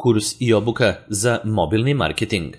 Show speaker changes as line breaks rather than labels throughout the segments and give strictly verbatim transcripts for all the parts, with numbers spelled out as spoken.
Kurs i obuka za mobilni marketing.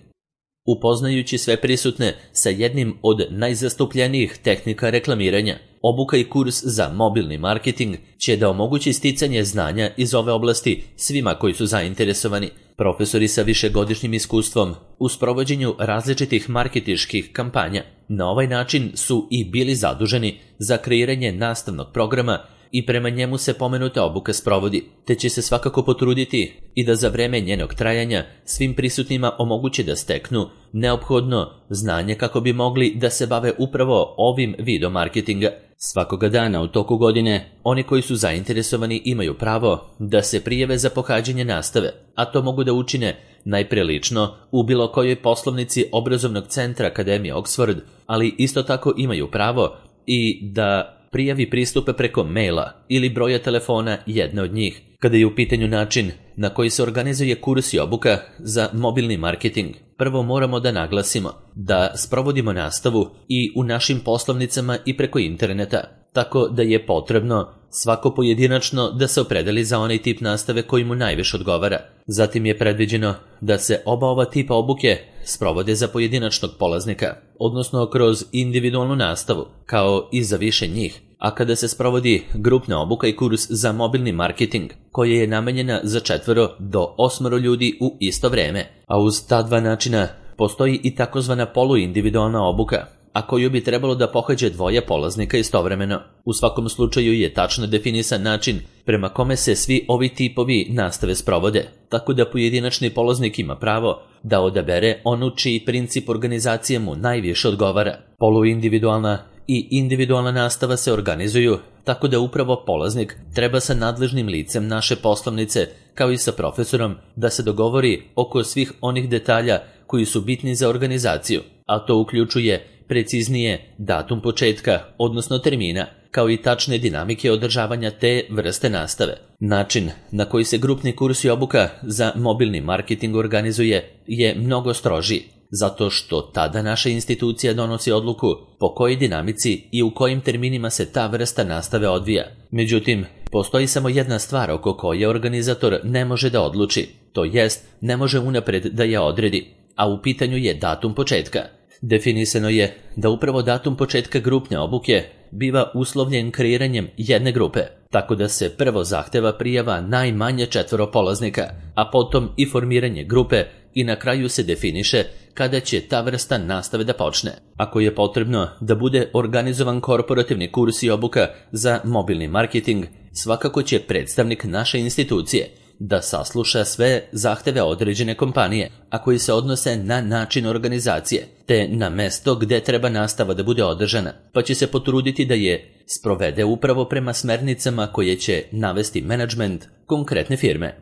Upoznajući sve prisutne sa jednim od najzastupljenijih tehnika reklamiranja, obuka i kurs za mobilni marketing će da omogući sticanje znanja iz ove oblasti svima koji su zainteresovani. Profesori sa višegodišnjim iskustvom u sprovođenju različitih marketinških kampanja na ovaj način su i bili zaduženi za kreiranje nastavnog programa i prema njemu se pomenuta obuka sprovodi, te će se svakako potruditi i da za vreme njenog trajanja svim prisutnima omogući da steknu neophodno znanje kako bi mogli da se bave upravo ovim vidom marketinga. Svakoga dana u toku godine oni koji su zainteresovani imaju pravo da se prijave za pohađanje nastave, a to mogu da učine najpre lično u bilo kojoj poslovnici obrazovnog centra Akademije Oxford, ali isto tako imaju pravo i da prijavi pristupe preko maila ili broja telefona jedne od njih. Kada je u pitanju način na koji se organizuje kurs i obuka za mobilni marketing, prvo moramo da naglasimo da sprovodimo nastavu i u našim poslovnicama i preko interneta, tako da je potrebno svako pojedinačno da se opredeli za onaj tip nastave koji mu najviše odgovara. Zatim je predviđeno da se oba ova tipa obuke sprovode za pojedinačnog polaznika, odnosno kroz individualnu nastavu, kao i za više njih. A kada se sprovodi grupna obuka i kurs za mobilni marketing, koja je namenjena za četvoro do osmoro ljudi u isto vreme, a uz ta dva načina postoji i takozvana poluindividualna obuka, a koju bi trebalo da pohađe dvoje polaznika istovremeno. U svakom slučaju je tačno definisan način prema kome se svi ovi tipovi nastave sprovode, tako da pojedinačni polaznik ima pravo da odabere onu čiji princip organizacije mu najviše odgovara. Poluindividualna i individualna nastava se organizuju tako da upravo polaznik treba sa nadležnim licem naše poslovnice, kao i sa profesorom, da se dogovori oko svih onih detalja koji su bitni za organizaciju, a to uključuje preciznije datum početka, odnosno termina, kao i tačne dinamike održavanja te vrste nastave. Način na koji se grupni kurs i obuka za mobilni marketing organizuje je mnogo strožiji, zato što tada naša institucija donosi odluku po kojoj dinamici i u kojim terminima se ta vrsta nastave odvija. Međutim, postoji samo jedna stvar oko koje organizator ne može da odluči, to jest ne može unapred da je odredi, a u pitanju je datum početka. Definisano je da upravo datum početka grupne obuke biva uslovljen kreiranjem jedne grupe, tako da se prvo zahteva prijava najmanje četvoro polaznika, a potom i formiranje grupe i na kraju se definiše kada će ta vrsta nastave da počne. Ako je potrebno da bude organizovan korporativni kurs i obuka za mobilni marketing, svakako će predstavnik naše institucije da sasluša sve zahteve određene kompanije, a koji se odnose na način organizacije, te na mesto gde treba nastava da bude održana, pa će se potruditi da je sprovede upravo prema smernicama koje će navesti menadžment konkretne firme.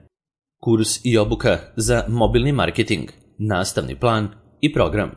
Kurs i obuka za mobilni marketing, nastavni plan i program.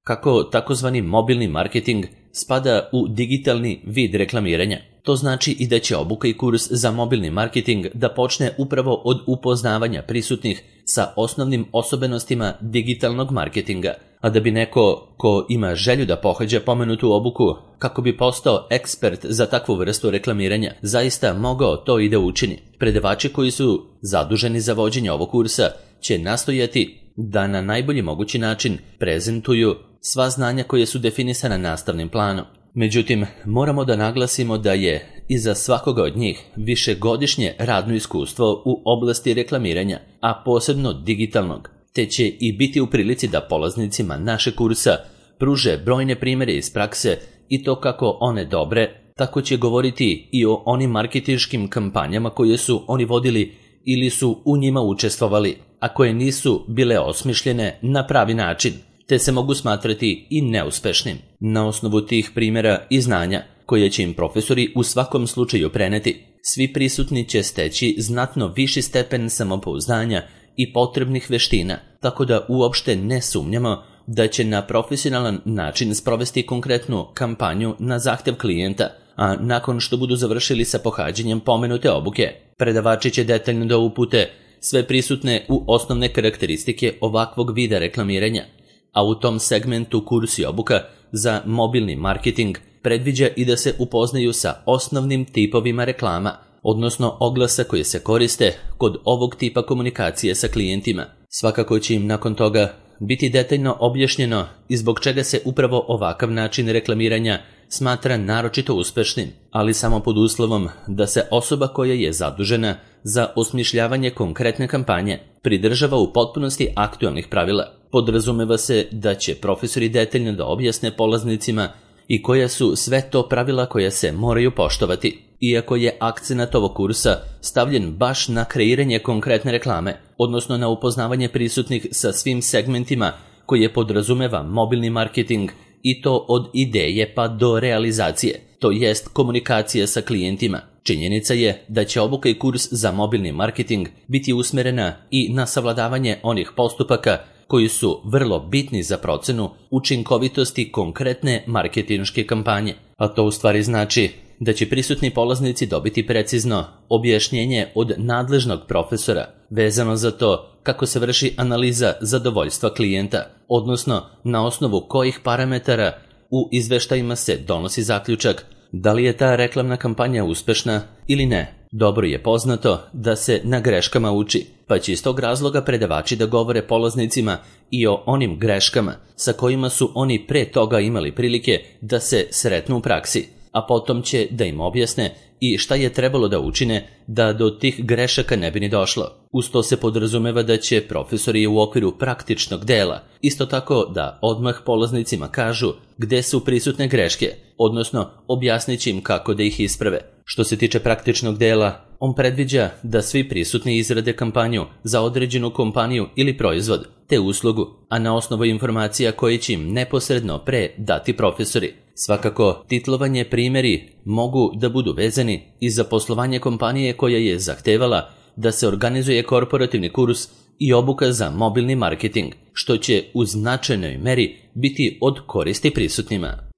Kako takozvani mobilni marketing spada u digitalni vid reklamiranja, to znači i da će obuka i kurs za mobilni marketing da počne upravo od upoznavanja prisutnih sa osnovnim osobenostima digitalnog marketinga, a da bi neko ko ima želju da pohađa pomenutu obuku kako bi postao ekspert za takvu vrstu reklamiranja zaista mogao to i da učini. Predavači koji su zaduženi za vođenje ovog kursa će nastojati da na najbolji mogući način prezentuju sva znanja koje su definisana nastavnim planom. Međutim, moramo da naglasimo da je iza svakoga od njih višegodišnje radno iskustvo u oblasti reklamiranja, a posebno digitalnog, te će i biti u prilici da polaznicima naše kursa pruže brojne primjere iz prakse i to kako one dobre, tako će govoriti i o onim marketinškim kampanjama koje su oni vodili ili su u njima učestvovali, a koje nisu bile osmišljene na pravi način, te se mogu smatrati i neuspešnim. Na osnovu tih primjera i znanja, koje će im profesori u svakom slučaju preneti, svi prisutni će steći znatno viši stepen samopouzdanja i potrebnih veština, tako da uopšte ne sumnjamo da će na profesionalan način sprovesti konkretnu kampanju na zahtev klijenta, a nakon što budu završili sa pohađanjem pomenute obuke, predavači će detaljno da upute sve prisutne u osnovne karakteristike ovakvog vida reklamiranja, a u tom segmentu kurs i obuka za mobilni marketing predviđa i da se upoznaju sa osnovnim tipovima reklama, odnosno oglasa koje se koriste kod ovog tipa komunikacije sa klijentima. Svakako će im nakon toga biti detaljno objašnjeno i zbog čega se upravo ovakav način reklamiranja smatra naročito uspešnim, ali samo pod uslovom da se osoba koja je zadužena za osmišljavanje konkretne kampanje pridržava u potpunosti aktualnih pravila. Podrazumeva se da će profesori detaljno da objasne polaznicima i koja su sve to pravila koja se moraju poštovati. Iako je akcenat ovog kursa stavljen baš na kreiranje konkretne reklame, odnosno na upoznavanje prisutnih sa svim segmentima koje podrazumeva mobilni marketing i to od ideje pa do realizacije, to jest komunikacije sa klijentima. Činjenica je da će obuka i kurs za mobilni marketing biti usmerena i na savladavanje onih postupaka koji su vrlo bitni za procenu učinkovitosti konkretne marketinške kampanje. A to u stvari znači da će prisutni polaznici dobiti precizno objašnjenje od nadležnog profesora vezano za to kako se vrši analiza zadovoljstva klijenta, odnosno na osnovu kojih parametara u izveštajima se donosi zaključak da li je ta reklamna kampanja uspešna ili ne. Dobro je poznato da se na greškama uči, pa će iz tog razloga predavači da govore polaznicima i o onim greškama sa kojima su oni pre toga imali prilike da se sretnu u praksi, a potom će da im objasne i šta je trebalo da učine da do tih grešaka ne bi ni došlo. Uz to se podrazumeva da će profesori u okviru praktičnog dela isto tako da odmah polaznicima kažu gde su prisutne greške, odnosno objasnit će im kako da ih isprave. Što se tiče praktičnog dela, on predviđa da svi prisutni izrade kampanju za određenu kompaniju ili proizvod, te uslugu, a na osnovu informacija koje će im neposredno pre dati profesori. Svakako, titlovanje primjeri mogu da budu vezani i za poslovanje kompanije koja je zahtevala da se organizuje korporativni kurs i obuka za mobilni marketing, što će u značajnoj meri biti od koristi prisutnima.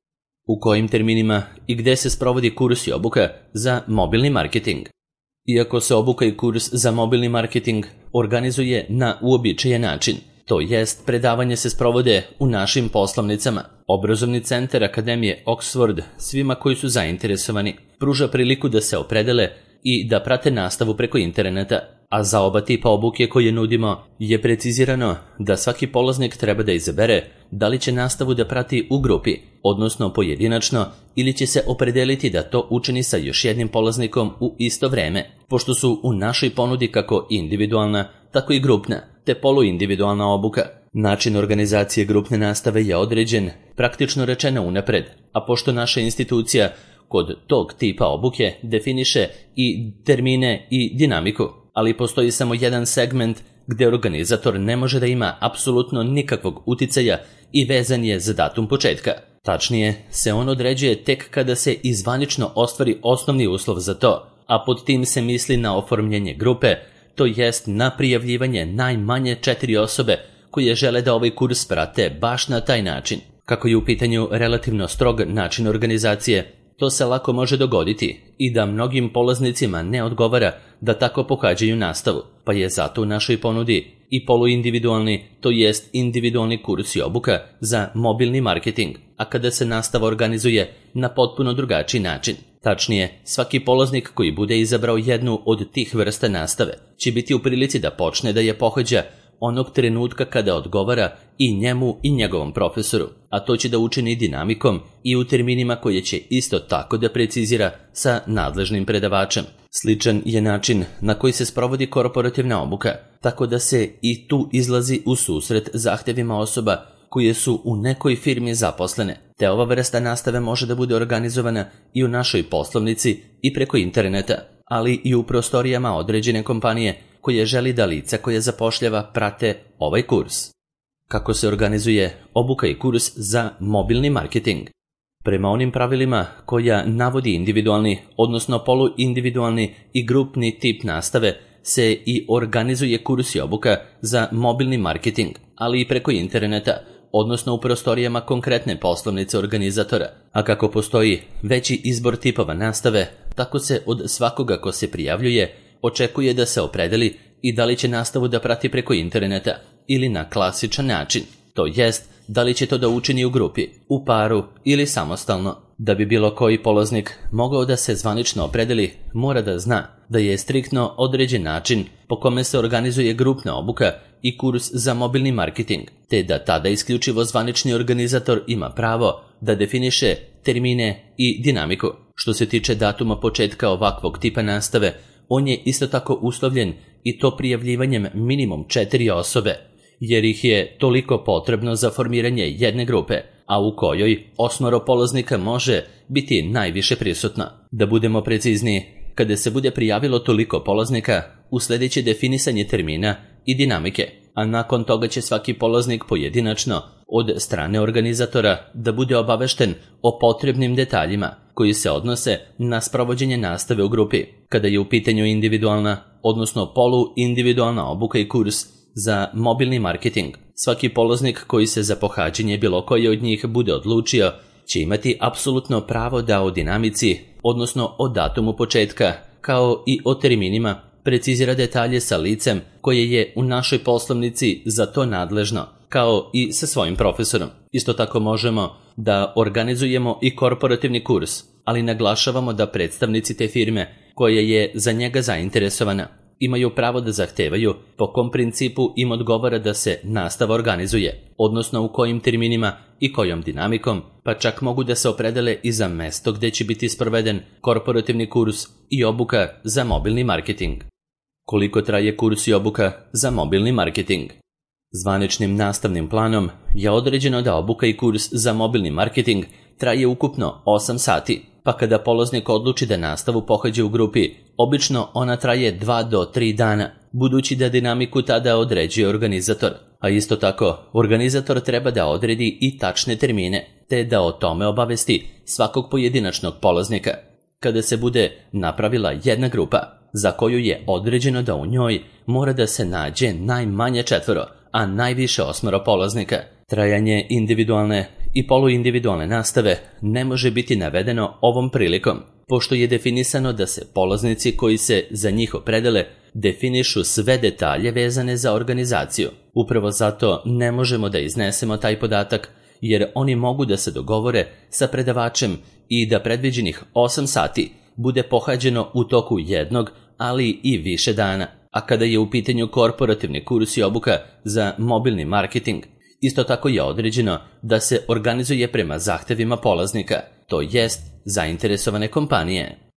U kojim terminima i gde se sprovodi kurs i obuka za mobilni marketing? Iako se obuka i kurs za mobilni marketing organizuje na uobičajen način, to jest predavanje se sprovode u našim poslovnicama, Obrazovni centar Akademije Oxford svima koji su zainteresovani pruža priliku da se opredele i da prate nastavu preko interneta, a za oba tipa obuke koje nudimo je precizirano da svaki polaznik treba da izabere da li će nastavu da prati u grupi, odnosno pojedinačno, ili će se opredeliti da to učini sa još jednim polaznikom u isto vreme, pošto su u našoj ponudi kako individualna, tako i grupna, te poluindividualna obuka. Način organizacije grupne nastave je određen, praktično rečeno unapred, a pošto naša institucija kod tog tipa obuke definiše i termine i dinamiku, ali postoji samo jedan segment gde organizator ne može da ima apsolutno nikakvog uticaja i vezan je za datum početka. Tačnije, se on određuje tek kada se izvanično ostvari osnovni uslov za to, a pod tim se misli na oformljenje grupe, to jest na prijavljivanje najmanje četiri osobe koje žele da ovaj kurs prate baš na taj način. Kako je u pitanju relativno strog način organizacije, to se lako može dogoditi i da mnogim polaznicima ne odgovara da tako pohađaju nastavu, pa je zato u našoj ponudi i poluindividualni, to jest individualni kurs i obuka za mobilni marketing, a kada se nastava organizuje na potpuno drugačiji način. Tačnije, svaki polaznik koji bude izabrao jednu od tih vrsta nastave će biti u prilici da počne da je pohađa onog trenutka kada odgovara i njemu i njegovom profesoru, a to će da učini dinamikom i u terminima koje će isto tako da precizira sa nadležnim predavačem. Sličan je način na koji se sprovodi korporativna obuka, tako da se i tu izlazi u susret zahtevima osoba koje su u nekoj firmi zaposlene, te ova vrsta nastave može da bude organizovana i u našoj poslovnici i preko interneta, ali i u prostorijama određene kompanije koje želi da lica koje zapošljava prate ovaj kurs. Kako se organizuje obuka i kurs za mobilni marketing? Prema onim pravilima koja navodi individualni, odnosno poluindividualni i grupni tip nastave, se i organizuje kurs i obuka za mobilni marketing, ali i preko interneta, odnosno u prostorijama konkretne poslovnice organizatora. A kako postoji veći izbor tipova nastave, tako se od svakoga ko se prijavljuje očekuje da se opredeli i da li će nastavu da prati preko interneta ili na klasičan način, to jest da li će to da učini u grupi, u paru ili samostalno. Da bi bilo koji polaznik mogao da se zvanično opredeli, mora da zna da je striktno određen način po kome se organizuje grupna obuka i kurs za mobilni marketing, te da tada isključivo zvanični organizator ima pravo da definiše termine i dinamiku. Što se tiče datuma početka ovakvog tipa nastave, on je isto tako uslovljen i to prijavljivanjem minimum četiri osobe, jer ih je toliko potrebno za formiranje jedne grupe, a u kojoj osmoro polaznika može biti najviše prisutno. Da budemo precizniji, kada se bude prijavilo toliko polaznika, usledeće definisanje termina i dinamike, a nakon toga će svaki polaznik pojedinačno od strane organizatora da bude obavešten o potrebnim detaljima koji se odnose na sprovođenje nastave u grupi. Kada je u pitanju individualna, odnosno poluindividualna obuka i kurs za mobilni marketing, svaki polaznik koji se za pohađanje bilo koje od njih bude odlučio će imati apsolutno pravo da o dinamici, odnosno o datumu početka, kao i o terminima, precizira detalje sa licem koje je u našoj poslovnici za to nadležno, kao i sa svojim profesorom. Isto tako možemo da organizujemo i korporativni kurs, ali naglašavamo da predstavnici te firme koja je za njega zainteresovana imaju pravo da zahtevaju po kom principu im odgovara da se nastava organizuje, odnosno u kojim terminima i kojom dinamikom, pa čak mogu da se opredele i za mesto gde će biti sproveden korporativni kurs i obuka za mobilni marketing. Koliko traje kurs i obuka za mobilni marketing? Zvaničnim nastavnim planom je određeno da obuka i kurs za mobilni marketing traje ukupno osam sati, pa kada polaznik odluči da nastavu pohađa u grupi, obično ona traje dva do tri dana, budući da dinamiku tada određuje organizator. A isto tako, organizator treba da odredi i tačne termine, te da o tome obavesti svakog pojedinačnog polaznika. Kada se bude napravila jedna grupa, za koju je određeno da u njoj mora da se nađe najmanje četvoro, a najviše osmoro polaznika, trajanje individualne i poluindividualne nastave ne može biti navedeno ovom prilikom, pošto je definisano da se polaznici koji se za njih opredele definišu sve detalje vezane za organizaciju. Upravo zato ne možemo da iznesemo taj podatak, jer oni mogu da se dogovore sa predavačem i da predviđenih osam sati bude pohađeno u toku jednog, ali i više dana. A kada je u pitanju korporativni kurs i obuka za mobilni marketing, isto tako je određeno da se organizuje prema zahtevima polaznika, to jest zainteresovane kompanije.